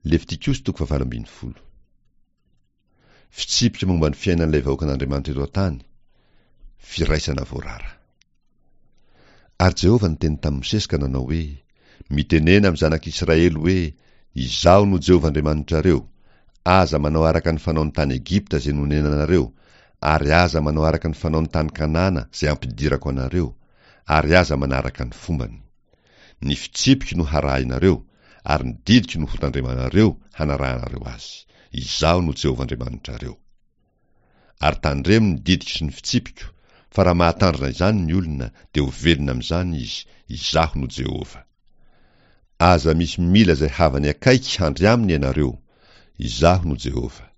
Levitikosy toko fahavalo 18. Fitsipika momba ny fiainan'ilay vahoakan'Andriamanitra eto an-tany, firaisana voarara. Ary Jehovah niteny tamin'i Mosesy ka nanao hoe, Mitenena amin'ny zanak'Israely hoe, 'Izaho no Jehovah Andriamanitrareo. Aza manao araka ny fanaon'ny tany Egypta izay nonenanareo, ary aza manao araka ny fanaon'ny tany Kanana izay ampidirako anareo, ary aza manaraka ny fombany. Ny fitsipiko no harahinareo, ary ny didiko no hotandremanareo hanarahanareo azy. Izaho no Jehovah Andriamanitrareo. Ary tandremo ny didiko sy ny fitsipiko, fa raha mahatandrina izany ny olona, dia ho velona amin'izany izy, Izaho no Jehovah. Aza misy mila izay havany akaiky handry aminy ianareo, Izaho no Jehovah.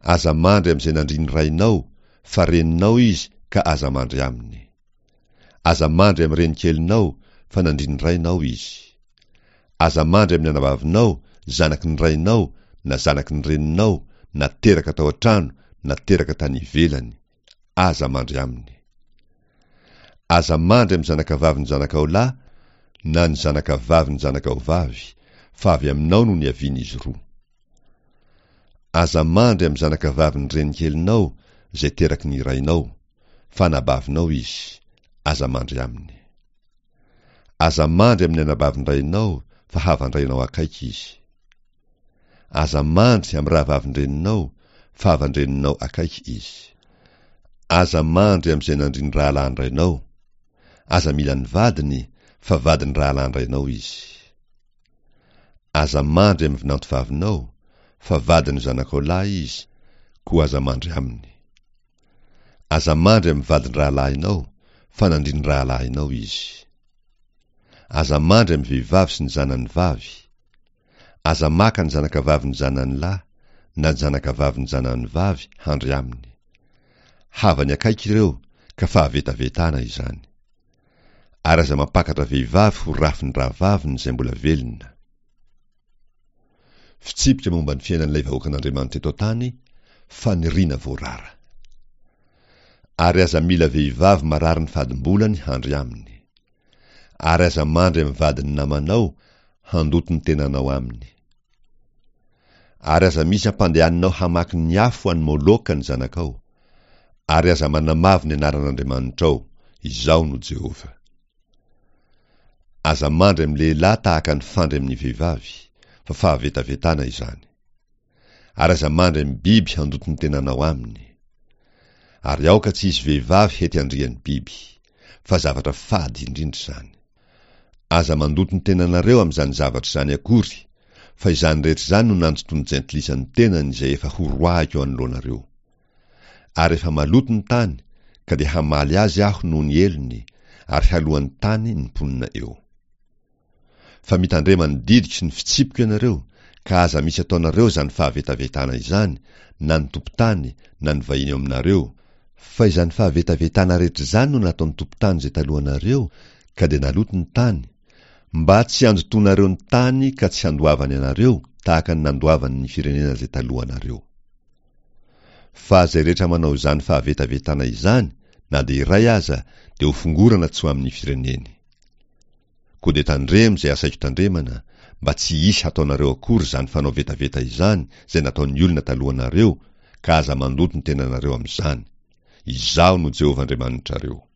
Aza mandry amin'izay nandrin'ny rainao, fa reninao izy ka aza mandry aminy. Aza mandry amin'ny renikelinao, fa nandrin'ny rainao izy. Aza mandry amin'ny anabavinao, zanaky ny rainao, na zanaky ny reninao, na teraka tao an-trano, na teraka tany ivelany. Aza mandry aminy. Aza mandry amin'ny zanakavavin'ny zanakao lahy, na ny zanakavavin'ny zanakao vavy, fa avy aminao no niavian'izy roa. Aza mandry amin'ny zanakavavin'ny renikelinao izay teraky ny rainao, fa anabavinao izy, aza mandry aminy. Aza mandry amin'ny anabavin-drainao fa havan-drainao akaiky izy. Aza mandry amin'ny rahavavin-dreninao fa havan-dreninao akaiky izy. Aza mandry amin'izay nandrin'ny rahalahin-drainao. Aza mila ny vadiny fa vadin'ny rahalahin-drainao izy. Aza mandry amin'ny vinantovavinao, fa vadin'ny zanakao lahy izy, koa aza mandry aminy. Aza mandry amin'ny vadin-drahalahinao, fa nandrin'ny rahalahinao izy. Aza mandry amin'ny vehivavy sy ny zanany vavy. Aza maka ny zanakavavin'ny zanany lahy, na ny zanakavavin'ny zanany vavy handry aminy. Havany akaiky ireo, ka fahavetavetana izany. Ary aza mampakatra vehivavy ho rafin'ny rahavaviny izay mbola velona. Fitsipika momba ny fiainan'ilay vahoakan'Andriamanitra eto an-tany, faniriana voarara. Ary aza mila vehivavy marary ny fadimbolany handry aminy. Ary aza mandry amin'ny vadin'ny namanao handoto ny tenanao aminy. Ary aza misy ampandehaninao hamaky ny afo any Moloka ny zanakao. Ary aza manamavo ny anaran'Andriamanitrao, Izaho no Jehovah. Aza mandry amin'ny lehilahy tahaka ny fandry amin'ny vehivavy, fa fahavetavetana izany. Ary aza mandry amin'ny biby handoto ny tenanao aminy. Ary aoka tsy hisy vehivavy hety handrian'ny biby, fa zavatra fady indrindra izany. Aza mandoto ny tenanareo amin'izany zavatra izany akory, fa izany rehetra izany no nandotoan'ny jentilisa ny tenany izay efa horoahiko eo anoloanareo. Ary efa maloto ny tany, ka dia hamaly azy aho noho ny helony, ary haloan'ny tany ny mponina eo. Fa mitandrema ny didiko sy ny fitsipiko ianareo, ka aza misy ataonareo izany fahavetavetana izany, na ny tompon-tany, na ny vahiny eo aminareo, fa izany fahavetavetana rehetra izany no nataon'ny tompon-tany izay talohanareo, ka dia naloto ny tany, mba tsy handotoanareo ny tany ka tsy handoavany anareo tahaka ny nandoavany ny firenena izay talohanareo. Fa izay rehetra manao izany fahavetavetana izany, na dia iray aza, dia hofongorana tsy ho amin'ny fireneny. Koa dia tandremo izay asaiko tandremana, mba tsy hisy hataonareo akory izany fanao vetaveta izany izay nataon'ny olona talohanareo, ka aza mandoto ny tenanareo amin'izany. Izaho no Jehovah Andriamanitrareo.